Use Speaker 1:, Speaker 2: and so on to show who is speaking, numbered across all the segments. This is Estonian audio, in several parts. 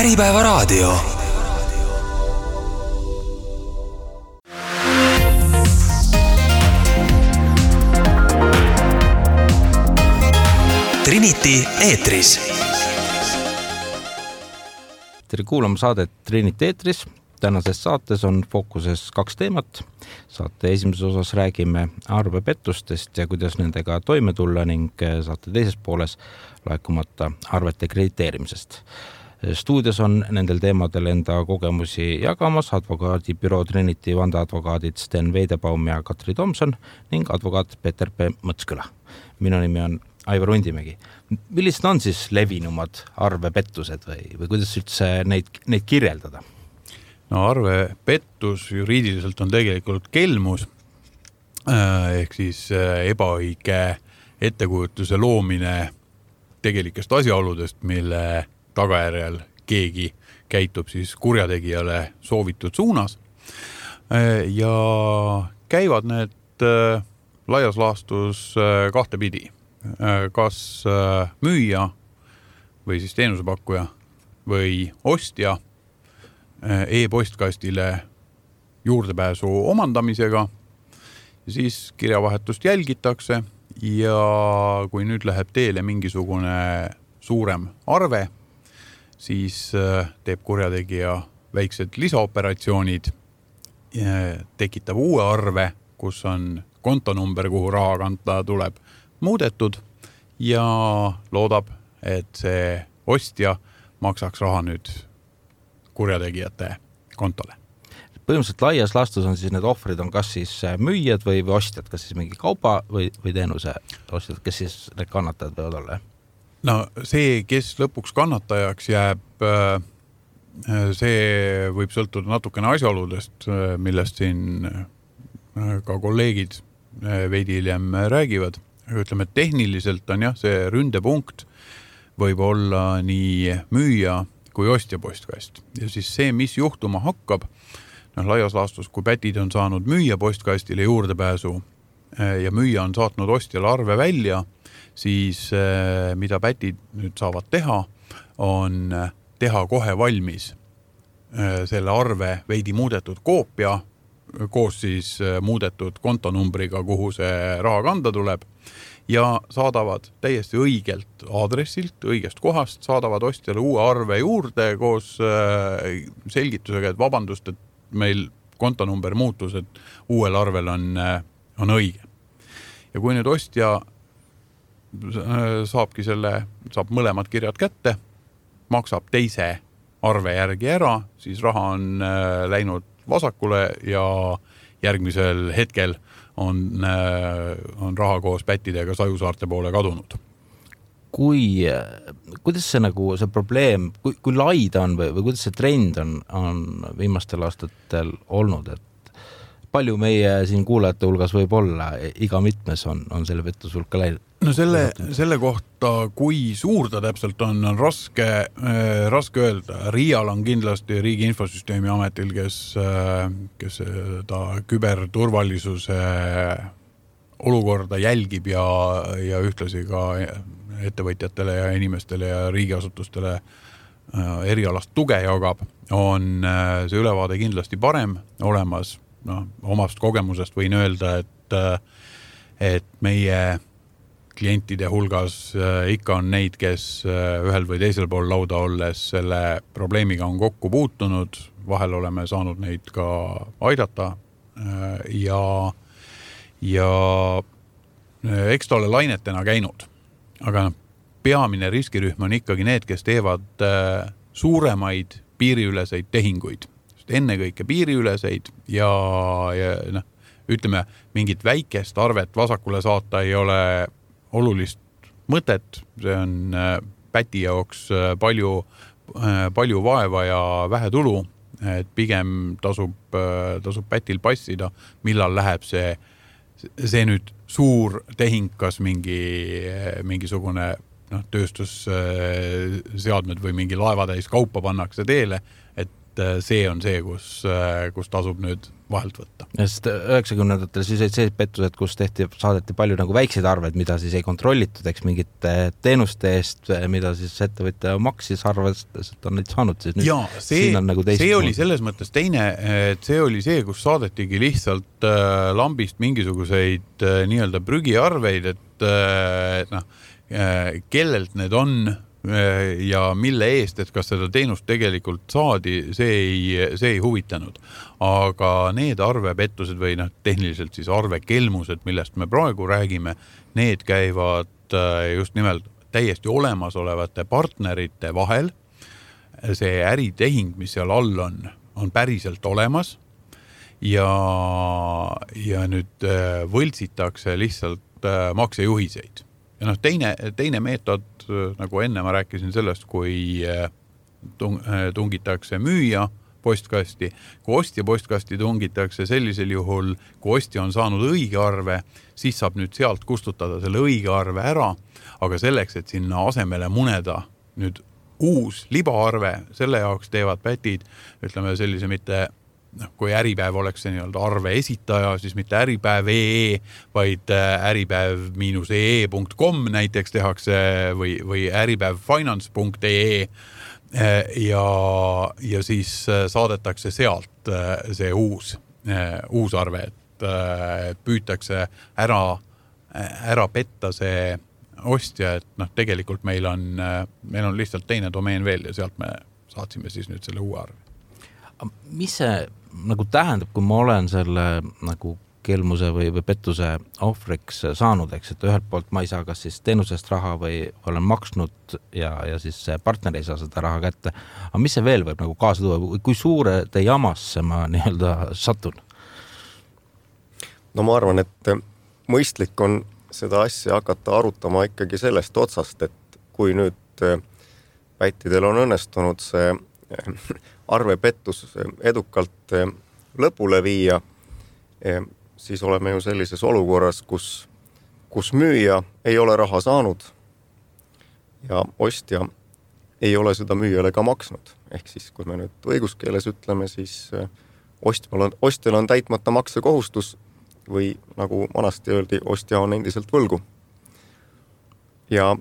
Speaker 1: Äripäevaraadio. Trinity eetris.
Speaker 2: Tere kuulama saadet Trinity eetris. Tänases saates on fookuses 2 teemat. Saate esimeses osas räägime arvepettustest ja kuidas nendega toime tulla ning saate teises pooles laekumata arvete krediteerimisest. Stuudios on nendel teemadel enda kogemusi jagamas advokaadibüroo Trinity vandeadvokaadid Sten Veidebaum ja Katri Tomson ning advokaat Peeter P. Mõtsküla. Minu nimi on Aivar Undimägi. Millised on siis levinumad arvepettused või kuidas üldse neid kirjeldada?
Speaker 3: No arvepettus juriidiliselt on tegelikult kelmus ehk siis ebaõige ettekujutuse loomine tegelikest asjaoludest, mille tagajärjel keegi käitub siis kurjategijale soovitud suunas ja käivad need laias laastus 2 pidi. Kas müüja või siis teenusepakkuja või ostja e-postkastile juurdepääsu omandamisega, siis kirjavahetust jälgitakse ja kui nüüd läheb teele mingisugune suurem arve, siis teeb kurjategija väiksed lisaoperatsioonid, tekitab uue arve, kus on kontonumber, kuhu raha kanta tuleb, muudetud ja loodab, et see ostja maksaks raha nüüd kurjategijate kontole.
Speaker 2: Põhimõtteliselt laias laastus on siis need ohvrid on kas siis müüjad või ostjad, kas siis mingi kauba või teenuse ostjad, kes siis need kannatajad võivad olla?
Speaker 3: No see, kes lõpuks kannatajaks jääb, see võib sõltuda natukene asjaoludest, millest siin ka kolleegid veidi hiljem räägivad. Ütleme, tehniliselt on see ründepunkt võib olla nii müüja kui ostja postkast. Ja siis see, mis juhtuma hakkab, laias laastus, kui pätid on saanud müüja postkastile juurdepääsu ja müüja on saatnud ostjale arve välja, siis mida pätid nüüd saavad teha, on teha kohe valmis selle arve veidi muudetud koopia, koos siis muudetud kontonumbriga, kuhu see raha kanda tuleb ja saadavad täiesti õigelt aadressilt, õigest kohast, saadavad ostjale uue arve juurde koos selgitusega, et vabandust, et meil kontonumber muutus, et uuel arvel on õige. Ja kui nüüd ostja saab mõlemad kirjad kätte, maksab teise arve järgi ära, siis raha on läinud vasakule ja järgmisel hetkel on raha koos pättidega Sajusaarte poole kadunud.
Speaker 2: Kuidas see probleem, kui lai ta on või kuidas see trend on viimastel aastatel olnud, et palju meie siin kuulajate hulgas võib olla, iga mitmes on selle pettus hulka läinud?
Speaker 3: No selle kohta, kui suur ta täpselt on raske öelda. RIA-l on kindlasti Riigi Infosüsteemi Ametil, kes ta küberturvalisuse olukorda jälgib ja ühtlasi ka ettevõtjatele ja inimestele ja riigiasutustele erialast tuge jagab, on see ülevaade kindlasti parem olemas. Omast kogemusest võin öelda, et meie klientide hulgas ikka on neid, kes ühel või teisel pool lauda olles selle probleemiga on kokku puutunud. Vahel oleme saanud neid ka aidata ja eks ta ole lainetena käinud. Aga peamine riskirühm on ikkagi need, kes teevad suuremaid piiriüleseid tehinguid. Ennekõike piiriüleseid ja ütleme, mingit väikest arvet vasakule saata ei ole olulist mõtet, see on päti jaoks palju vaeva ja vähe tulu, et pigem tasub pätil passida, millal läheb see nüüd suur tehing, kas mingisugune tööstusseadmed või mingi laevatäis kaupa pannakse teele, et see on see, kus tasub nüüd vahelt võtta.
Speaker 2: Sest 90-ndatel siis olid sellised pettused, kus saadeti palju nagu väikseid arveid, mida siis ei kontrollitud, eks mingite teenuste eest, mida siis ettevõtja maksis arvestas, et on neid saanud. Siis nüüd,
Speaker 3: ja see oli selles mõttes teine, et see oli see, kus saadetigi lihtsalt lambist mingisuguseid nii-öelda prügiarveid, et kellelt need on ja mille eest, et kas seda teenust tegelikult saadi, see ei huvitanud. Aga need arvepettused või tehniliselt siis arvekelmused, millest me praegu räägime, need käivad just nimelt täiesti olemasolevate partnerite vahel. See äritehing, mis seal all on päriselt olemas ja nüüd võltsitakse lihtsalt maksejuhiseid. Ja teine meetod, nagu enne ma rääkisin sellest, kui tungitakse müüja postkasti, kui ostja postkasti tungitakse sellisel juhul, kui ostja on saanud õige arve, siis saab nüüd sealt kustutada selle õige arve ära, aga selleks, et sinna asemele muneda nüüd uus libaarve, selle jaoks teevad pätid, ütleme sellise mitte kui Äripäev oleks see nii-öelda arve esitaja, siis mitte äripäev.ee, vaid äripäev-ee.com näiteks tehakse või äripäevfinance.ee ja siis saadetakse sealt see uus arve, et püütakse ära petta see ostja, et tegelikult meil on lihtsalt teine domeen veel ja sealt me saatsime siis nüüd selle uue arve.
Speaker 2: Mis see nagu tähendab, kui ma olen selle nagu kelmuse või pettuse ohvriks saanud, eks, et ühelt poolt ma ei saa kas siis teenusest raha või olen maksnud ja siis partner ei saa seda raha kätte. Aga mis see veel võib nagu kaasa tuua? Kui suure te jamasse ma nii-öelda satun?
Speaker 4: No ma arvan, et mõistlik on seda asja hakata arutama ikkagi sellest otsast, et kui nüüd pättidel on õnnestunud see arvepettus edukalt lõpule viia, siis oleme ju sellises olukorras, kus müüja ei ole raha saanud ja ostja ei ole seda müüjale ka maksnud. Ehk siis, kui me nüüd õiguskeeles ütleme, siis ostjal on täitmata maksekohustus või nagu vanasti öeldi, ostja on endiselt võlgu. Ja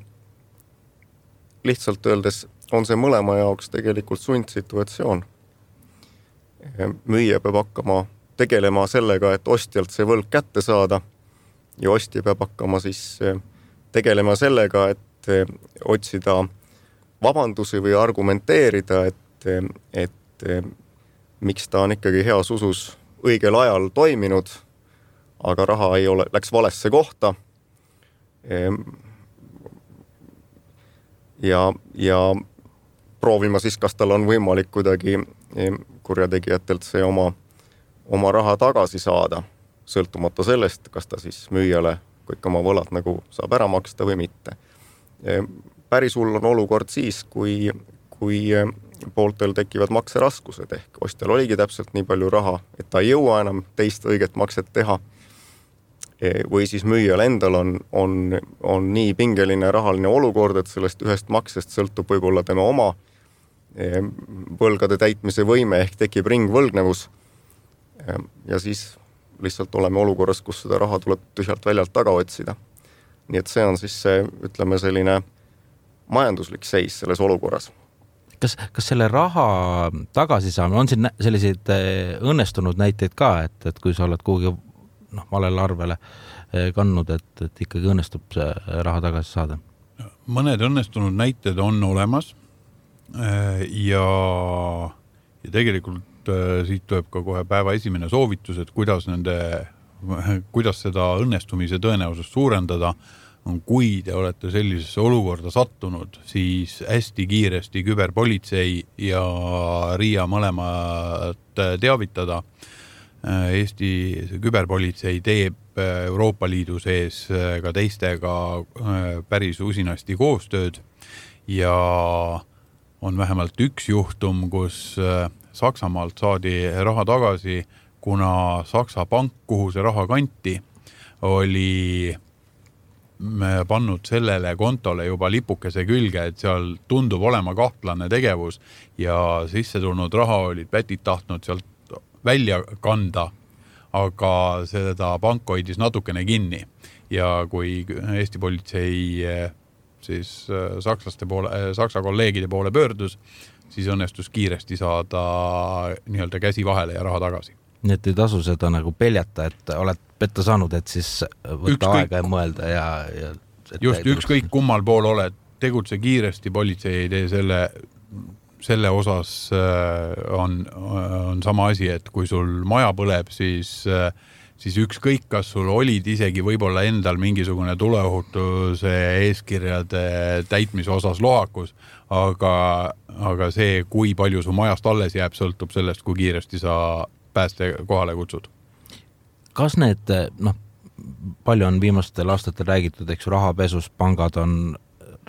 Speaker 4: lihtsalt öeldes on see mõlema jaoks tegelikult sundsituatsioon. Müüja peab hakkama tegelema sellega, et ostjalt see võlg kätte saada ja ostja peab hakkama siis tegelema sellega, et otsida vabandusi või argumenteerida, et miks ta on ikkagi heas usus õigel ajal toiminud, aga raha läks valesse kohta. Ja proovima siis, kas tal on võimalik kuidagi kurjategijatelt see oma raha tagasi saada, sõltumata sellest, kas ta siis müüjale kõik oma võlad nagu saab ära maksta või mitte. Päris hull on olukord siis, kui pooltel tekivad makseraskused ehk ostjal oligi täpselt nii palju raha, et ta ei jõua enam teist õiget makset teha. Või siis müüjal endal on nii pingeline rahaline olukord, et sellest ühest maksest sõltub võib-olla tema oma võlgade täitmise võime ehk tekib ringvõlgnevus. Ja siis lihtsalt oleme olukorras, kus seda raha tuleb tühjalt väljalt taga otsida. Nii et see on siis see, ütleme, selline majanduslik seis selles olukorras.
Speaker 2: Kas selle raha tagasi saame, on siin selliseid õnnestunud näiteid ka, et kui sa oled kuhugi valele arvele kandnud, et ikkagi õnnestub see raha tagasi saada?
Speaker 3: Mõned õnnestunud näited on olemas ja tegelikult siit tuleb ka kohe päeva esimene soovitus, et kuidas seda õnnestumise tõenäosust suurendada, on kui te olete sellisesse olukorda sattunud, siis hästi kiiresti küberpolitsei ja RIA mõlemad teavitada. Eesti küberpolitsei teeb Euroopa Liidu sees ka teistega päris usinasti koostööd ja on vähemalt üks juhtum, kus Saksamaalt saadi raha tagasi, kuna Saksa pank, kuhu see raha kanti, oli pannud sellele kontole juba lipukese külge, et seal tundub olema kahtlane tegevus ja sisse tulnud raha olid pätid tahtnud sealt välja kanda, aga seda pank hoidis natukene kinni. Ja kui Eesti politsei siis Saksa kolleegide poole pöördus, siis õnnestus kiiresti saada nii-öelda käsi vahele ja raha tagasi.
Speaker 2: Nii et ei tasu seda nagu peljata, et oled petta saanud, et siis võtta aega ja mõelda ja
Speaker 3: just ükskõik kummal pool oled, tegutse kiiresti, politsei ei tee selle osas on sama asi, et kui sul maja põleb, siis ükskõik, kas sul olid isegi võib-olla endal mingisugune tuleohutuse eeskirjade täitmise osas lohakus, aga see, kui palju su majast alles jääb, sõltub sellest, kui kiiresti sa pääste kohale kutsud.
Speaker 2: Kas need, palju on viimastel aastatel räägitud, eks rahapesus, pangad on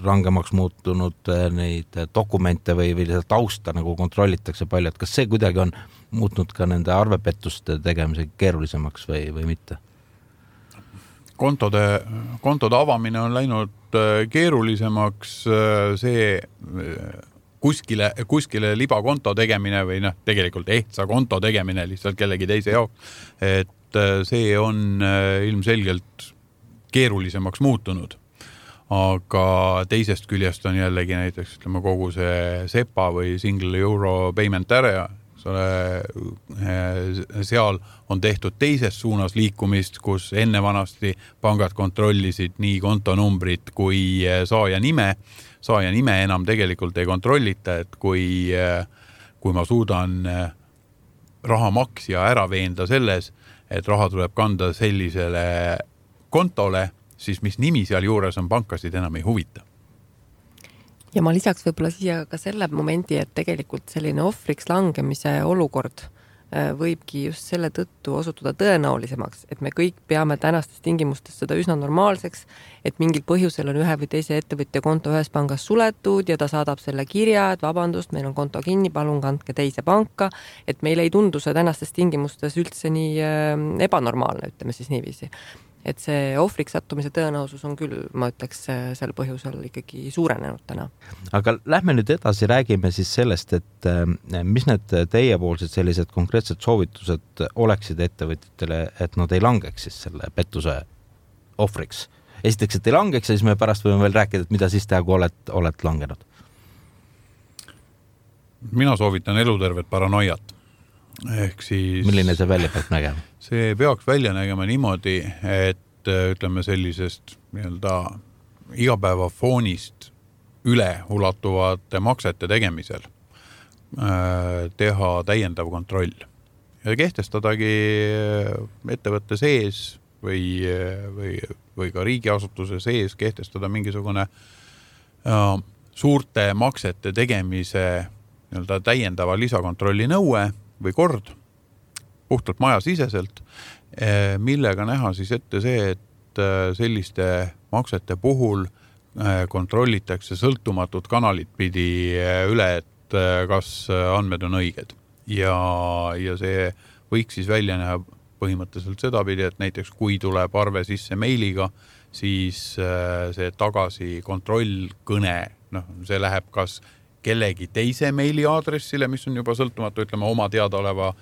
Speaker 2: rangemaks muutunud, neid dokumente või tausta nagu kontrollitakse palju, et kas see kuidagi on muutnud ka nende arvepettuste tegemise keerulisemaks või mitte?
Speaker 3: Kontode avamine on läinud keerulisemaks, see kuskile libakonto tegemine või tegelikult ehtsa konto tegemine lihtsalt kellegi teise jaoks, et see on ilmselgelt keerulisemaks muutunud. Aga teisest küljest on jällegi näiteks kogu see SEPA või Single Euro Payment Area, seal on tehtud teises suunas liikumist, kus enne vanasti pangad kontrollisid nii kontonumbrit kui saaja nime enam tegelikult ei kontrollita, et kui ma suudan raha maksja ära veenda selles, et raha tuleb kanda sellisele kontole, siis mis nimi seal juures on, pankasid enam ei huvita.
Speaker 5: Ja ma lisaks võib-olla siia ka selle momendi, et tegelikult selline ohvriks langemise olukord võibki just selle tõttu osutuda tõenäolisemaks, et me kõik peame tänastes tingimustes seda üsna normaalseks, et mingil põhjusel on ühe või teise ettevõtja konto ühes pangas suletud ja ta saadab selle kirja, et vabandust, meil on konto kinni, palun kandke teise panka, et meil ei tundu see tänastes tingimustes üldse nii ebanormaalne, ütleme siis niiviisi. Et see ohvriks sattumise tõenäosus on küll, ma ütleks, sel põhjusel ikkagi suurenenud täna.
Speaker 2: Aga lähme nüüd edasi, räägime siis sellest, et mis need teiepoolsed sellised konkreetsed soovitused oleksid ettevõtjatele, et nad ei langeks siis selle pettuse ohvriks. Esiteks, et ei langeks ja siis me pärast võime veel rääkida, et mida siis teha, kui oled langenud.
Speaker 3: Mina soovitan elutervet paranoiat. Ehk siis,
Speaker 2: milline see välja peaks nägema?
Speaker 3: See peaks välja nägema niimoodi, et ütleme sellisest igapäeva foonist üle ulatuvate maksete tegemisel teha täiendav kontroll ja kehtestadagi ettevõtte sees või ka riigiasutuse sees kehtestada mingisugune suurte maksete tegemise täiendava lisakontrolli nõue või kord puhtalt majasiseselt, millega näha siis ette see, et selliste maksete puhul kontrollitakse sõltumatut kanalit pidi üle, et kas andmed on õiged. Ja see võiks siis välja näha põhimõtteliselt seda pidi, et näiteks kui tuleb arve sisse meiliga, siis see tagasi kontrollkõne, see läheb kas kellegi teise meiliaadressile, mis on juba sõltumatu, ütleme oma teadaoleva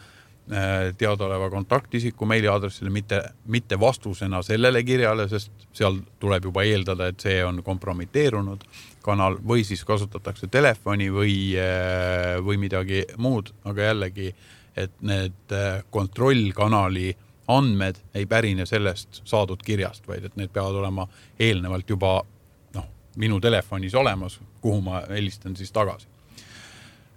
Speaker 3: kontaktisiku meiliaadressile, mitte vastusena sellele kirjale, sest seal tuleb juba eeldada, et see on kompromiteerunud kanal või siis kasutatakse telefoni või midagi muud, aga jällegi, et need kontrollkanali andmed ei pärine sellest saadud kirjast, vaid et need peavad olema eelnevalt juba minu telefonis olemas, kuhu ma helistan siis tagasi.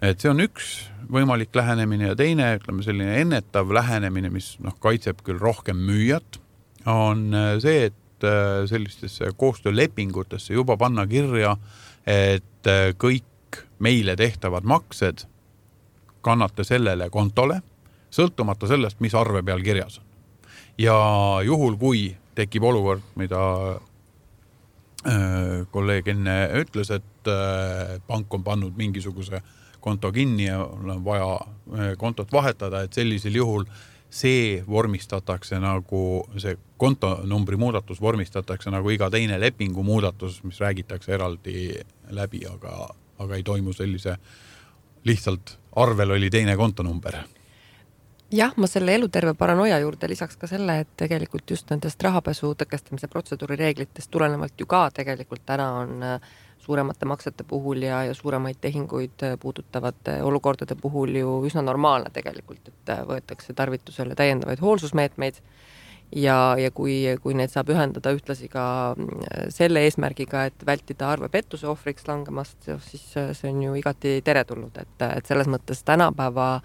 Speaker 3: Et see on üks võimalik lähenemine ja teine, ütleme selline ennetav lähenemine, mis kaitseb küll rohkem müüjat, on see, et sellistesse koostöölepingutesse juba panna kirja, et kõik meile tehtavad maksed kannate sellele kontole, sõltumata sellest, mis arve peal kirjas on. Ja juhul, kui tekib olukord, mida kolleeg enne ütles, et pank on pannud mingisuguse konto kinni ja on vaja kontot vahetada, et sellisel juhul see vormistatakse nagu, see kontonumbri muudatus vormistatakse nagu iga teine lepingu muudatus, mis räägitakse eraldi läbi, aga ei toimu sellise lihtsalt arvel oli teine kontonumber.
Speaker 5: Jah, ma selle eluterve paranoia juurde lisaks ka selle, et tegelikult just nendest rahapesu tõkestamise protseduuri reeglitest tulenevalt ju ka tegelikult täna on suuremate maksete puhul ja suuremaid tehinguid puudutavate olukordade puhul ju üsna normaalne tegelikult, et võetakse tarvitusele täiendavaid hoolsusmeetmeid ja kui need saab ühendada ühtlasi ka selle eesmärgiga, et vältida arvepettuse ohvriks langemast, siis see on ju igati teretulnud, et selles mõttes tänapäeva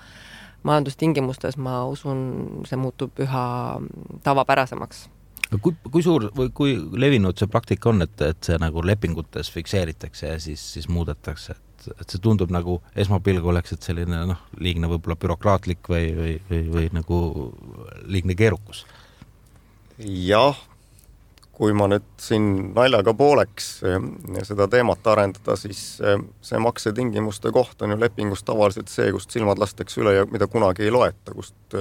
Speaker 5: majandustingimustes ma usun, see muutub üha tavapärasemaks.
Speaker 2: Kui suur või kui levinud see praktika on, et see nagu lepingutes fikseeritakse ja siis muudetakse, et see tundub nagu esmapilgu oleks, et selline liigne võib-olla bürokraatlik või nagu liigne keerukus?
Speaker 4: Jah, kui ma nüüd siin naljaga pooleks seda teemat arendada, siis see maksetingimuste koht on ju lepingus tavaliselt see, kust silmad lastakse üle ja mida kunagi ei loeta, kust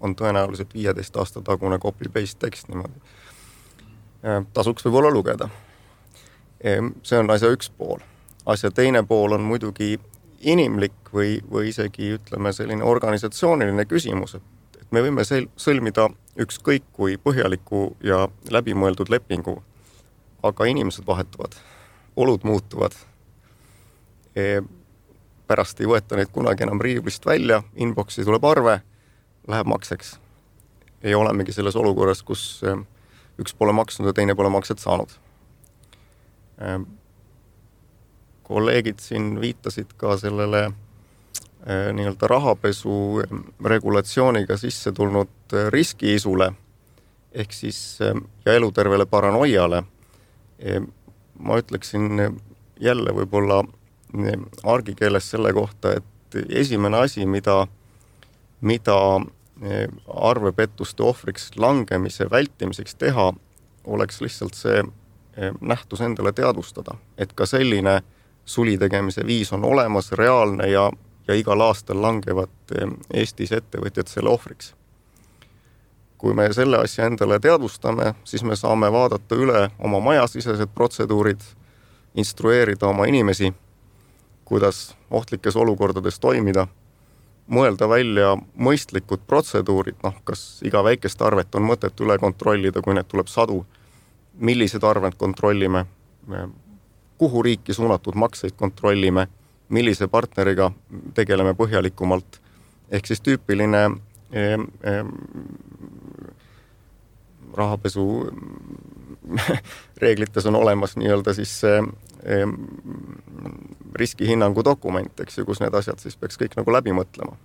Speaker 4: on tõenäoliselt 15 aasta tagune copy-paste tekst niimoodi. Tasuks võib-olla lugeda. See on asja üks pool. Asja teine pool on muidugi inimlik või isegi ütleme selline organisatsiooniline küsimus, et me võime sõlmida ükskõik kui põhjaliku ja läbimõeldud lepingu, aga inimesed vahetuvad, olud muutuvad. Pärast ei võeta neid kunagi enam riiblist välja, inboxi tuleb arve, läheb makseks. Ei olemegi selles olukorras, kus üks pole maksnud ja teine pole makset saanud. Kolleegid siin viitasid ka sellele nii-öelda rahapesu regulatsiooniga sisse tulnud riskiisule ehk siis ja elutervele paranoiale. Ma ütleksin jälle võib-olla argikeeles selle kohta, et esimene asi, mida arvepettuste ohvriks langemise vältimiseks teha, oleks lihtsalt see nähtus endale teadvustada, et ka selline suli tegemise viis on olemas, reaalne ja igal aastal langevad Eestis ettevõtjad selle ohvriks. Kui me selle asja endale teadvustame, siis me saame vaadata üle oma majasisesed protseduurid, instrueerida oma inimesi, kuidas ohtlikes olukordades toimida, mõelda välja mõistlikud protseduurid, kas iga väikest arvet on mõtet üle kontrollida, kui need tuleb sadu, millised arved kontrollime, kuhu riiki suunatud makseid kontrollime, millise partneriga tegeleme põhjalikumalt. Ehk siis tüüpiline rahapesu reeglites on olemas nii-öelda siis riskihinnangu dokument, eks ju, kus need asjad siis peaks kõik nagu läbi mõtlema.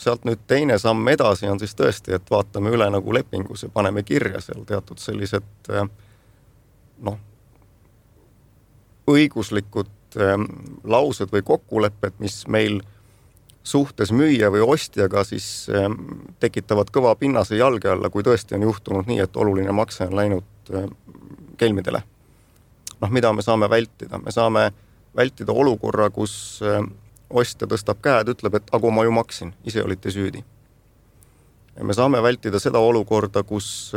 Speaker 4: Sealt nüüd teine samm edasi on siis tõesti, et vaatame üle nagu lepingus ja paneme kirja seal teatud sellised õiguslikud laused või kokkulepped, mis meil suhtes müüja või ostjaga siis tekitavad kõva pinnase jalge alla, kui tõesti on juhtunud nii, et oluline makse on läinud kelmidele. Mida me saame vältida? Me saame vältida olukorra, kus ostja tõstab käed, ütleb, et aga ma ju maksin, ise olite süüdi. Ja me saame vältida seda olukorda, kus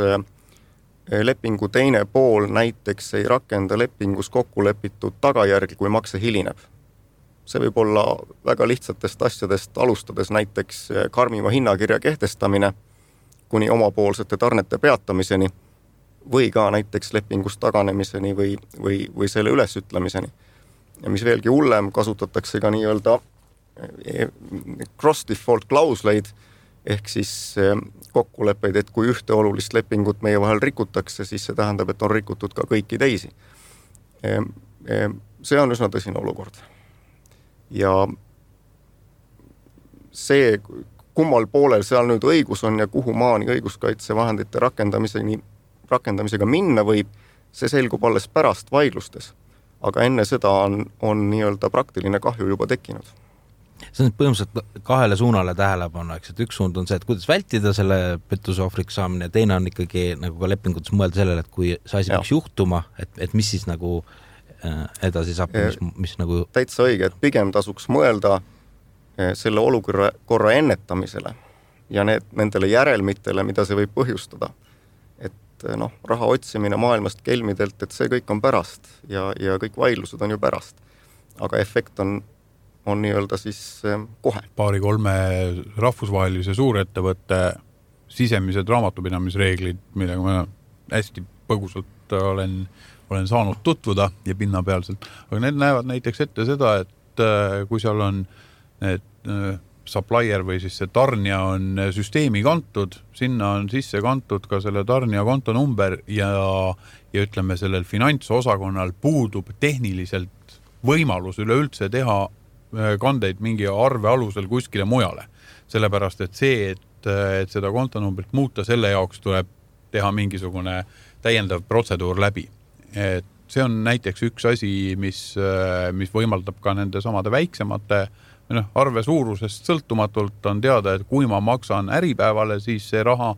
Speaker 4: lepingu teine pool näiteks ei rakenda lepingus kokku lepitud tagajärgi, kui makse hilineb. See võib olla väga lihtsatest asjadest alustades näiteks karmima hinnakirja kehtestamine kuni omapoolsete tarnete peatamiseni või ka näiteks lepingust taganemiseni või selle ülesütlemiseni. Ja mis veelgi hullem, kasutatakse ka nii-öelda cross-default klausleid ehk siis kokkuleppeid, et kui ühte olulist lepingut meie vahel rikutakse, siis see tähendab, et on rikutud ka kõiki teisi. See on üsna tõsine olukord. Ja see, kummal poolel seal nüüd õigus on ja kuhu maani õiguskaitsevahendite rakendamisega minna võib, see selgub alles pärast vaidlustes. Aga enne seda on nii-öelda praktiline kahju juba tekkinud.
Speaker 2: See on põhimõtteliselt kahele suunale tähelepanu, eks, et üks suund on see, et kuidas vältida selle pettuse ohvriks saamine ja teine on ikkagi nagu ka lepingutes mõelda sellele, et kui see asi peaks juhtuma, et mis siis nagu edasi saab, mis nagu...
Speaker 4: Täitsa õige, et pigem tasuks mõelda selle olukorra ennetamisele ja nendele järelmitele, mida see võib põhjustada. Et raha otsimine maailmast kelmidelt, et see kõik on pärast ja kõik vaidlused on ju pärast. Aga efekt on nii-öelda siis kohe.
Speaker 3: 2-3 rahvusvahelise suurettevõtte sisemised raamatupidamisreeglid, millega ma hästi põgusalt olen saanud tutvuda ja pinnapealselt. Aga need näevad näiteks ette seda, et kui seal on need supplier või siis see tarnija on süsteemi kantud, sinna on sisse kantud ka selle tarnija kontonumber ja ütleme, sellel finantsosakonnal puudub tehniliselt võimalus üleüldse teha kandeid mingi arve alusel kuskile mujale. Sellepärast, et see, et seda kontonumbrit muuta, selle jaoks tuleb teha mingisugune täiendav protseduur läbi. Et see on näiteks üks asi, mis võimaldab ka nende samade väiksemate arve suurusest sõltumatult on teada, et kui ma maksan äripäevale, siis see raha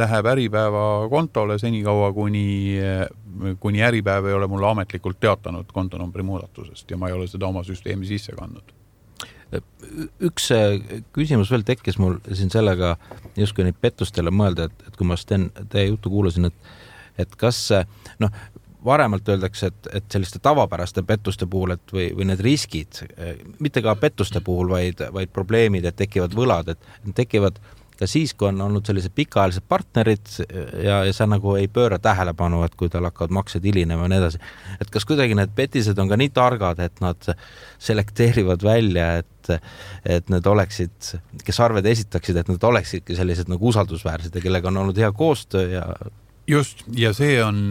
Speaker 3: läheb äripäeva kontole senikaua, kuni äripäev ei ole mulle ametlikult teatanud kontonumbri muudatusest ja ma ei ole seda oma süsteemi sisse kandnud.
Speaker 2: Üks küsimus veel tekkis mul siin sellega justkui neid pettustele mõelda, et kui ma teie juttu kuulasin, et kas varemalt öeldakse, et selliste tavapäraste pettuste puhul, või need riskid, mitte ka pettuste puhul, vaid probleemid, et tekivad võlad, et tekivad ka siis, kui on olnud sellised pikaajalised partnerid ja sa nagu ei pööra tähelepanu, et kui tal hakkavad maksed hilinema ja nii edasi. Et kas kuidagi need petised on ka nii targad, et nad selekteerivad välja, et need oleksid, kes arved esitaksid, et nad oleksidki sellised nagu usaldusväärsed ja kellega on olnud hea koostöö ja
Speaker 3: just, ja see on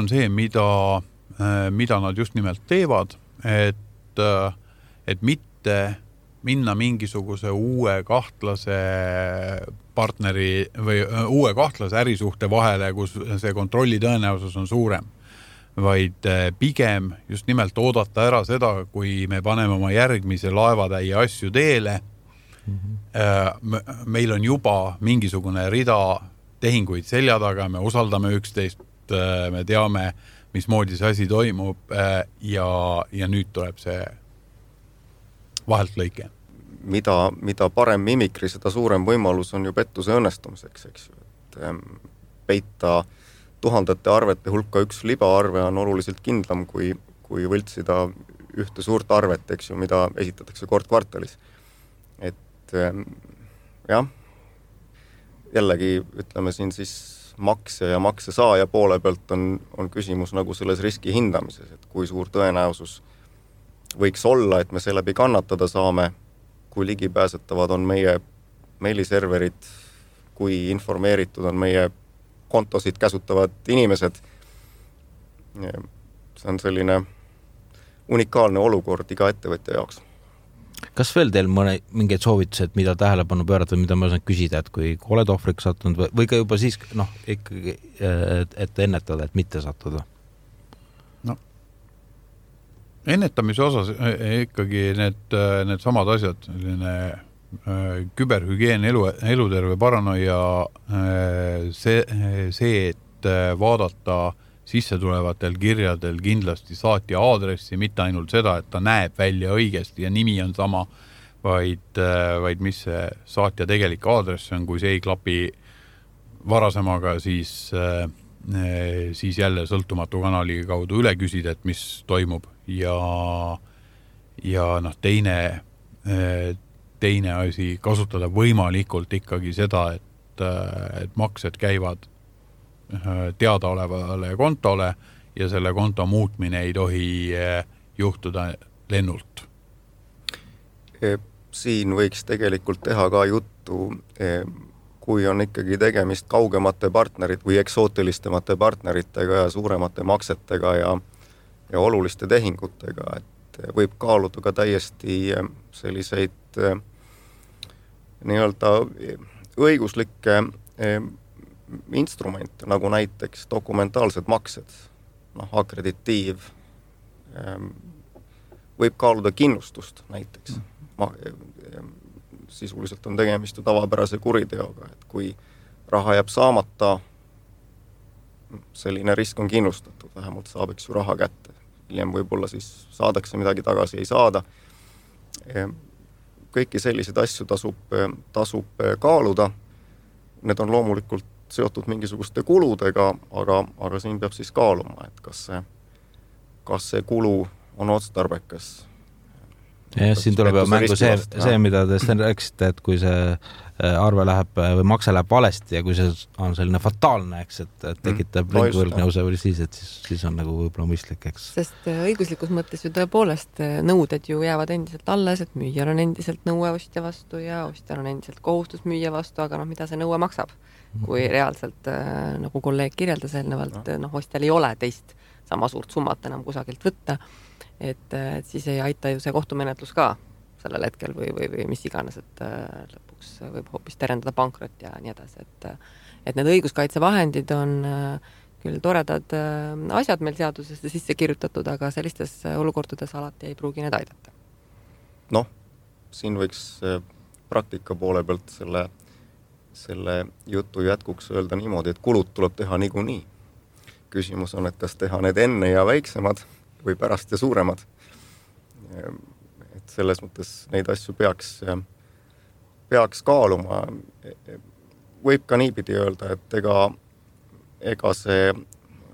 Speaker 3: see, mida nad just nimelt teevad, et mitte minna mingisuguse uue kahtlase partneri või uue kahtlase ärisuhte vahele, kus see kontrolli tõenäosus on suurem, vaid pigem just nimelt oodata ära seda, kui me paneme oma järgmise laevatäie asju teele. Meil on juba mingisugune rida tehinguid selja taga, me usaldame üksteist, me teame, mismoodi see asi toimub ja nüüd tuleb see vahelt lõike.
Speaker 4: Mida parem mimikri, seda suurem võimalus on ju pettuse õnnestumiseks, eks ju. Et peita tuhandete arvete hulka üks libaarve on oluliselt kindlam, kui võltsida ühte suurt arvet, eks ju, mida esitatakse kord kvartalis. Et jah, jällegi ütleme siin siis maksja ja maksesaaja poole pealt on küsimus nagu selles riski hindamises, et kui suur tõenäosus võiks olla, et me seeläbi kannatada saame, kui ligipääsetavad on meie meiliserverid, kui informeeritud on meie kontosid käsutavad inimesed. See on selline unikaalne olukord iga ettevõtja jaoks.
Speaker 2: Kas veel teil mingeid soovitused, mida tähelepanu pöörata, mida ma saan küsida, et kui oled ohvriks sattunud või ka juba siis ikkagi, et ennetada, et mitte sattuda?
Speaker 3: Ennetamise osas ikkagi need samad asjad, küberhügieen, eluterve paranoia, see, et vaadata sisse tulevatel kirjadel kindlasti saatja aadressi, mitte ainult seda, et ta näeb välja õigesti ja nimi on sama, vaid mis see saatja tegelik aadress on, kui see ei klapi varasemaga, siis jälle sõltumatu kanali kaudu üle küsida, et mis toimub ja teine asi, kasutada võimalikult ikkagi seda, et maksed käivad teadaolevale kontole ja selle konto muutmine ei tohi juhtuda lennult.
Speaker 4: Siin võiks tegelikult teha ka juttu, kui on ikkagi tegemist kaugemate partnerid või eksootilistemate partneritega ja suuremate maksetega ja oluliste tehingutega, et võib kaaluda ka täiesti selliseid nii-öelda õiguslikke instrumente, nagu näiteks dokumentaalsed maksed, akreditiiv, võib kaaluda kinnustust näiteks. Sisuliselt on tegemist tavapärase kuriteoga, et kui raha jääb saamata, selline risk on kinnustatud, vähemalt saabeks ju raha kätte. Hiljem võib-olla siis saadakse midagi tagasi, ei saada. kõiki selliseid asju tasub kaaluda. Need on loomulikult seotud mingisuguste kuludega, aga siin peab siis kaaluma, et kas see kulu on otstarbekas.
Speaker 2: Ja siin tuleb mängu see, mida te siin rääkisite, et kui see arve läheb või makse läheb valesti ja kui see on selline fataalne, eks, et tekitab võlgnevuse või siis on nagu võib-olla mõistlik, eks.
Speaker 5: Sest õiguslikus mõttes ju tõepoolest nõuded ju jäävad endiselt alles, et müüjal on endiselt nõue ostja vastu ja ostjal on endiselt kohustus müüja vastu, aga mida see nõue maksab? Kui reaalselt, nagu kolleeg kirjeldas eelnevalt, ostjal ei ole teist sama suurt summat enam kusagilt võtta, et siis ei aita ju see kohtumenetlus ka sellel hetkel või mis iganes, et lõpuks võib hoopis terendada pankrot ja nii edasi, et need õiguskaitsevahendid on küll toredad asjad meil seadusesse sisse kirjutatud, aga sellistes olukordades alati ei pruugi need aidata.
Speaker 4: Siin võiks praktika poole pealt selle jutu jätkuks öelda niimoodi, et kulud tuleb teha niikuinii. Küsimus on, et kas teha need enne ja väiksemad või pärast ja suuremad. Et selles mõttes neid asju peaks kaaluma. Võib ka niipidi öelda, et ega see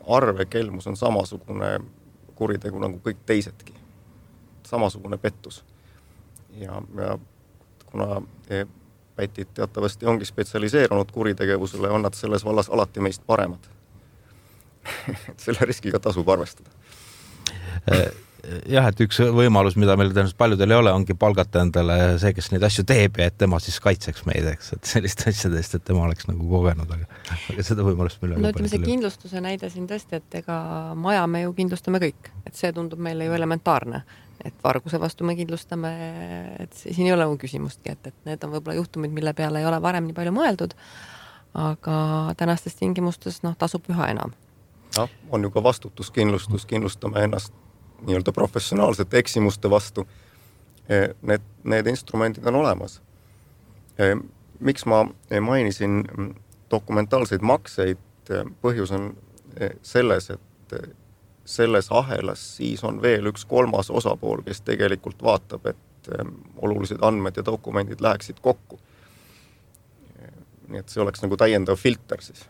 Speaker 4: arvekelmus on samasugune kuritegu nagu kõik teisedki. Samasugune pettus. Ja kuna pätid teatavasti ongi spetsialiseerunud kuritegevusele, on nad selles vallas alati meist paremad. Selle riskiga tasub arvestada.
Speaker 2: Jah, et üks võimalus, mida meil tõenäoliselt paljudel ei ole, ongi palgata endale see, kes neid asju teeb ja et tema siis kaitseks meid, eks, et sellist asjadest, et tema oleks nagu kogenud, aga seda võimalust meil
Speaker 5: ütleme see kindlustuse näide siin tõesti, et ega maja me ju kindlustame kõik, et see tundub meile ju elementaarne, et varguse vastu me kindlustame, et siin ei ole küsimustki, et need on võib-olla juhtumid, mille peale ei ole varem nii palju mõeldud, aga tänastes tingimustes tasub üha enam.
Speaker 4: On ju ka vastutuskindlustus, kindlustame ennast nii-öelda professionaalsete eksimuste vastu. Need instrumendid on olemas. Miks ma mainisin dokumentaalseid makseid? Põhjus on selles, et selles ahelas siis on veel üks kolmas osapool, kes tegelikult vaatab, et olulised andmed ja dokumendid läheksid kokku. Nii et see oleks nagu täiendav filter siis.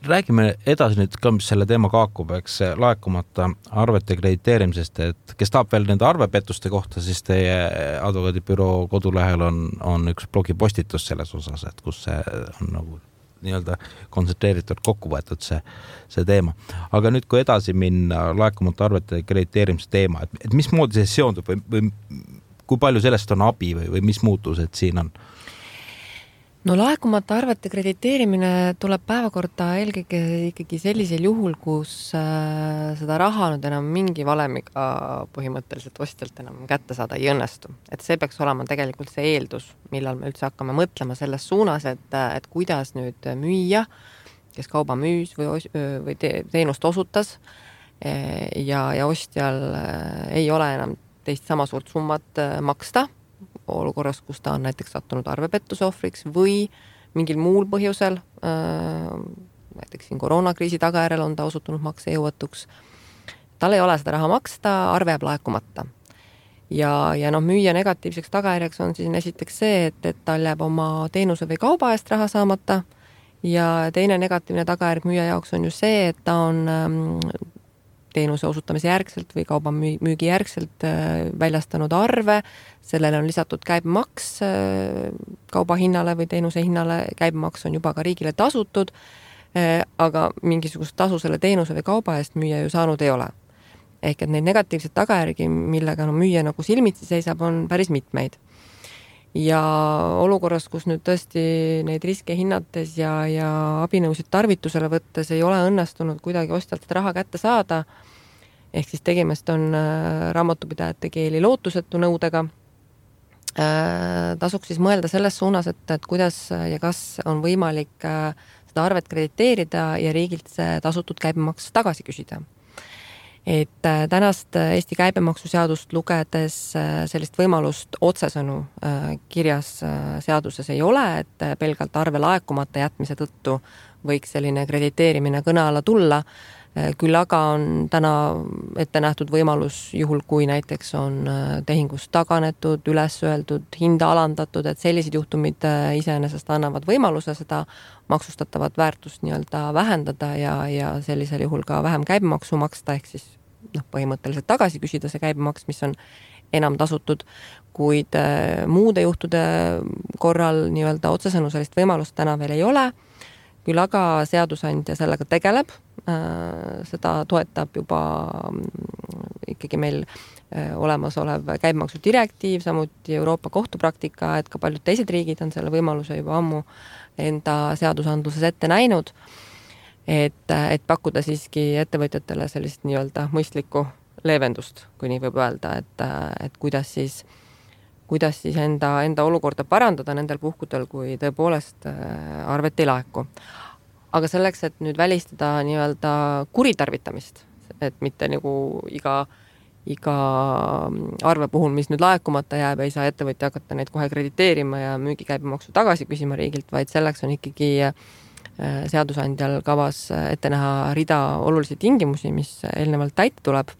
Speaker 2: Räägime edasi nüüd ka, mis selle teema kaakub, eks laekumata arvete krediteerimisest, et kes tahab veel nende arvepettuste kohta, siis teie advokaadibüroo kodulehel on üks blogipostitus selles osas, et kus see on nagu nii-öelda kontsentreeritud kokku võetud see teema. Aga nüüd, kui edasi minna laekumata arvete krediteerimise teema, et mis moodi see seondub või kui palju sellest on abi või mis muutused siin on?
Speaker 5: Laekumata arvete krediteerimine tuleb päevakorda eelkõige ikkagi sellisel juhul, kus seda raha nüüd enam mingi valemiga põhimõtteliselt ostjalt enam kätte saada ei õnnestu. Et see peaks olema tegelikult see eeldus, millal me üldse hakkame mõtlema selles suunas, et kuidas nüüd müüa, kes kauba müüs või teenust osutas ja ostjal ei ole enam teist sama suurt summat maksta, olukorras, kus ta on näiteks sattunud arvepettuse ohvriks või mingil muul põhjusel, näiteks siin koroonakriisi tagajärjel on ta osutunud maksejõuetuks. Tal ei ole seda raha maksta, arve jääb laekumata. Ja müüja negatiivseks tagajärjeks on siis esiteks see, et tal jääb oma teenuse või kauba eest raha saamata ja teine negatiivne tagajärg müüja jaoks on ju see, et ta on teenuse osutamise järgselt või kauba müügi järgselt väljastanud arve, sellele on lisatud käibemaks kauba hinnale või teenuse hinnale, käibemaks on juba ka riigile tasutud, aga mingisugust tasu selle teenuse või kauba eest müüja ju saanud ei ole. Ehk et neid negatiivseid tagajärgi, millega müüja nagu silmitsi seisab, on päris mitmeid. Ja olukorras, kus nüüd tõesti neid riske hinnates ja abinõusid tarvitusele võttes ei ole õnnestunud kuidagi ostjalt raha kätte saada, ehk siis tegemist on raamatupidajate keeli lootusetu nõudega, tasuks siis mõelda selles suunas, et kuidas ja kas on võimalik seda arvet krediteerida ja riigilt see tasutud käibemaks tagasi küsida. Et tänast Eesti käibemaksuseadust lugedes sellist võimalust otsesõnu kirjas seaduses ei ole, et pelgalt arve laekumata jätmise tõttu võiks selline krediteerimine kõne alla tulla. Küll aga on täna ette nähtud võimalus juhul, kui näiteks on tehingust taganetud, üles öeldud, hinda alandatud, et sellised juhtumid iseenesest annavad võimaluse seda maksustatavat väärtust nii-öelda vähendada ja sellisel juhul ka vähem käibemaksu maksta, ehk siis põhimõtteliselt tagasi küsida see käibemaks, mis on enam tasutud, kuid muude juhtude korral nii-öelda otsesõnu sellist võimalust täna veel ei ole. Küll aga seadusandja sellega tegeleb, seda toetab juba ikkagi meil olemasolev käibemaksu direktiiv, samuti Euroopa kohtupraktika, et ka paljud teised riigid on selle võimaluse juba ammu enda seadusandluses ette näinud, et pakkuda siiski ettevõtjatele sellist nii-öelda mõistlikku leevendust, kui nii võib öelda, et kuidas siis enda olukorda parandada nendel puhkudel, kui tõepoolest arvet ei laeku. Aga selleks, et nüüd välistada nii-öelda kuritarvitamist, et mitte nagu iga arve puhul, mis nüüd laekumata jääb, ei saa ettevõtja hakata neid kohe krediteerima ja müügikäibemaksu tagasi küsima riigilt, vaid selleks on ikkagi seadusandjal kavas ette näha rida olulisi tingimusi, mis eelnevalt täita tuleb.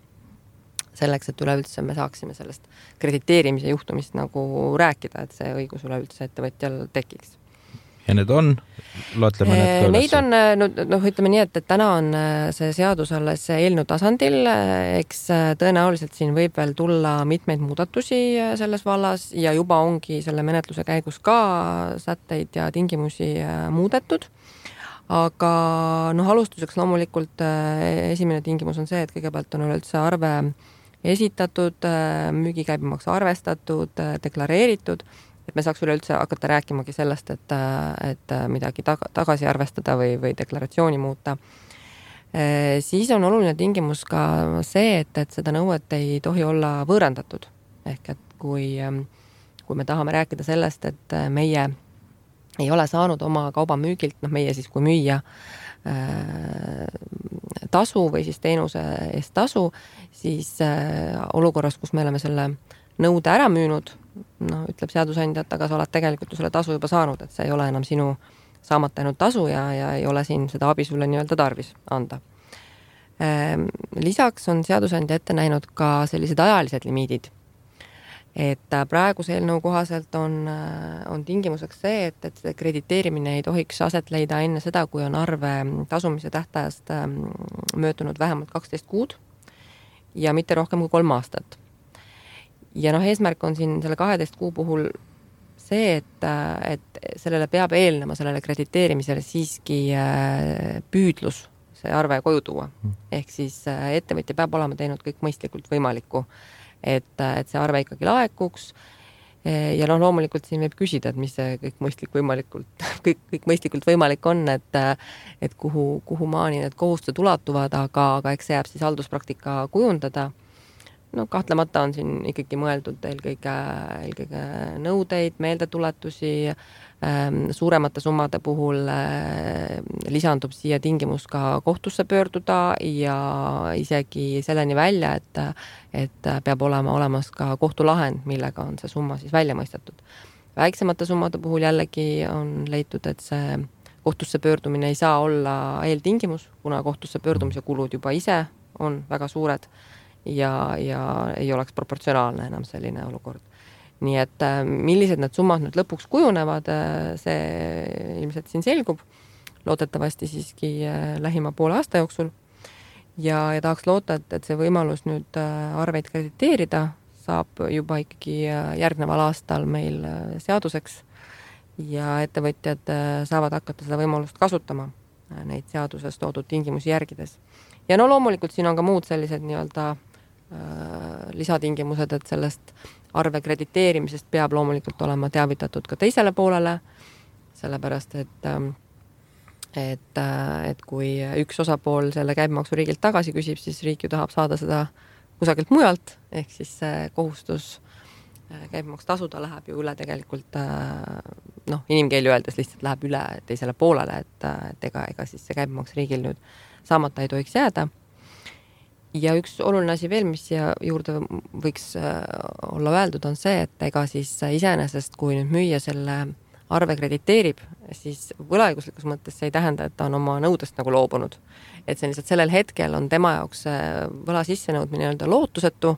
Speaker 5: Selleks, et üleüldse me saaksime sellest krediteerimise juhtumist nagu rääkida, et see õigus üleüldse ettevõtjal tekiks.
Speaker 2: Ja need on? Loetleme need ka üles?
Speaker 5: Neid on, ütleme nii, et täna on see seadus alles eelnõu tasandil, eks tõenäoliselt siin võib veel tulla mitmeid muudatusi selles vallas ja juba ongi selle menetluse käigus ka sätteid ja tingimusi muudetud. Aga alustuseks loomulikult esimene tingimus on see, et kõigepealt on üleüldse arve esitatud, müügikäibemaks arvestatud, deklareeritud, et me saaks üleüldse hakata rääkimagi sellest, et midagi tagasi arvestada või deklaratsiooni muuta. Siis on oluline tingimus ka see, et seda nõuet ei tohi olla võõrandatud. Ehk et kui me tahame rääkida sellest, et meie ei ole saanud oma kauba müügilt, meie siis kui müüa tasu või siis teenuse eest tasu, siis olukorras, kus me oleme selle nõude ära müünud, ütleb seadusandja, et aga sa oled tegelikult selle tasu juba saanud, et see ei ole enam sinu saamata jäänud tasu ja ei ole siin seda abi sulle nii-öelda tarvis anda. Lisaks on seadusandja ette näinud ka sellised ajalised limiidid. Et praeguse eelnõu kohaselt on tingimuseks see, et see krediteerimine ei tohiks aset leida enne seda, kui on arve tasumise tähtajast möödunud vähemalt 12 kuud ja mitte rohkem kui 3 aastat. Ja eesmärk on siin selle 12 kuu puhul see, et sellele peab eelnema sellele krediteerimisele siiski püüdlus see arve koju tuua. Ehk siis ettevõtja peab olema teinud kõik mõistlikult võimalikku, et see arve ikkagi laekuks ja loomulikult siin võib küsida, et mis see kõik mõistlikult võimalik on, et kuhu maani need kohustused ulatuvad, aga eks see jääb siis halduspraktika kujundada. Kahtlemata on siin ikkagi mõeldud eelkõige nõudeid, meeldetuletusi, suuremate summade puhul lisandub siia tingimus ka kohtusse pöörduda ja isegi selleni välja, et peab olema olemas ka kohtulahend, millega on see summa siis välja mõistetud. Väiksemate summade puhul jällegi on leitud, et see kohtusse pöördumine ei saa olla eeltingimus, kuna kohtusse pöördumise kulud juba ise on väga suured ja ei oleks proportsionaalne enam selline olukord. Nii et millised need summad nüüd lõpuks kujunevad, see ilmselt siin selgub, loodetavasti siiski lähima poole aasta jooksul ja tahaks loota, et see võimalus nüüd arveid krediteerida saab juba ikkagi järgneval aastal meil seaduseks ja ettevõtjad saavad hakata seda võimalust kasutama neid seaduses toodud tingimusi järgides. Ja loomulikult siin on ka muud sellised nii-öelda lisatingimused, et sellest arve krediteerimisest peab loomulikult olema teavitatud ka teisele poolele, sellepärast, et kui üks osapool selle käibemaksu riigilt tagasi küsib, siis riik ju tahab saada seda kusagilt mujalt, ehk siis see kohustus käibemaks tasuda läheb ju üle tegelikult, inimkeeli öeldes lihtsalt läheb üle teisele poolele, et ega siis see käibemaks riigil nüüd saamata ei tohiks jääda. Ja üks oluline asi veel, mis siia juurde võiks olla öeldud, on see, et ega siis iseenesest, kui nüüd müüa selle arve krediteerib, siis võlaõiguslikus mõttes see ei tähenda, et ta on oma nõudest nagu loobunud. Et see lihtsalt sellel hetkel on tema jaoks võla sissenõudmine nii-öelda lootusetu,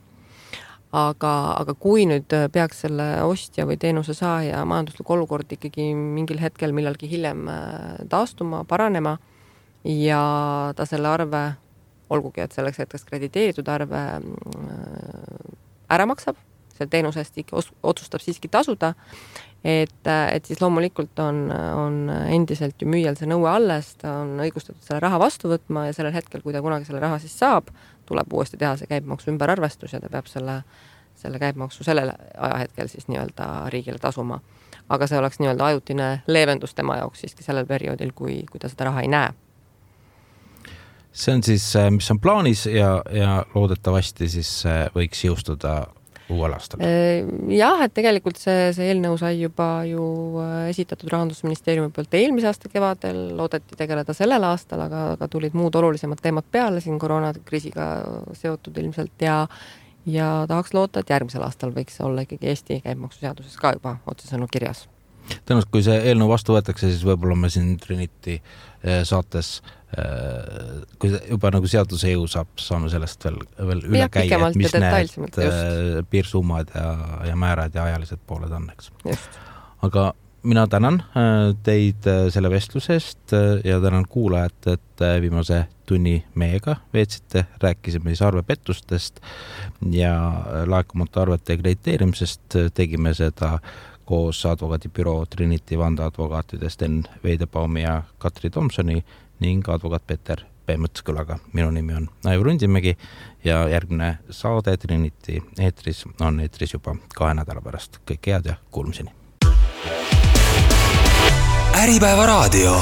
Speaker 5: aga kui nüüd peaks selle ostja või teenuse saaja majanduslik olukord ikkagi mingil hetkel millalgi hiljem taastuma, paranema ja ta selle arve, olgugi, et selleks hetkeks krediteeritud arve ära maksab, selle teenuse eest otsustab siiski tasuda, et siis loomulikult on endiselt ju müüjal see nõue alles, ta on õigustatud selle raha vastu võtma ja sellel hetkel, kui ta kunagi selle raha siis saab, tuleb uuesti teha see käibemaksu ümberarvestus ja ta peab selle käibemaksu sellel ajahetkel siis nii-öelda riigile tasuma. Aga see oleks nii-öelda ajutine leevendus tema jaoks siiski sellel perioodil, kui ta seda raha ei näe.
Speaker 2: See on siis, mis on plaanis ja loodetavasti siis võiks jõustuda uuel aastal.
Speaker 5: Jah, et tegelikult see eelnõu sai juba ju esitatud Rahandusministeeriumi poolt eelmise aasta kevadel, loodeti tegeleda sellel aastal, aga tulid muud olulisemad teemad peale siin koroonakriisiga seotud ilmselt ja tahaks loota, et järgmisel aastal võiks olla ikkagi Eesti käibemaksuseaduses ka juba otsesõnu kirjas.
Speaker 2: Tõenäoliselt, kui see eelnõu vastu võetakse, siis võib-olla me siin Trinity saates, kui juba nagu seaduse jõu saab, saame sellest veel üle käia, et mis need piirsummad ja määrad ja ajalised pooled on, eks.
Speaker 5: Just.
Speaker 2: Aga mina tänan teid selle vestlusest ja tänan kuulajat, et viimase tunni meiega veetsite, rääkisime siis arvepettustest ja laekumata arvete krediteerimisest, tegime seda koos advokaadibüroo Trinity vandeadvokaatidest Enn Veidebaumi ja Katri Tomsoni ning advokaat Peeter P. Mõtskülaga. Minu nimi on Aivar Undimägi ja järgmine saade Trinity eetris on eetris juba 2 nädala pärast. Kõik head ja kuulmiseni.
Speaker 1: Äripäeva raadio.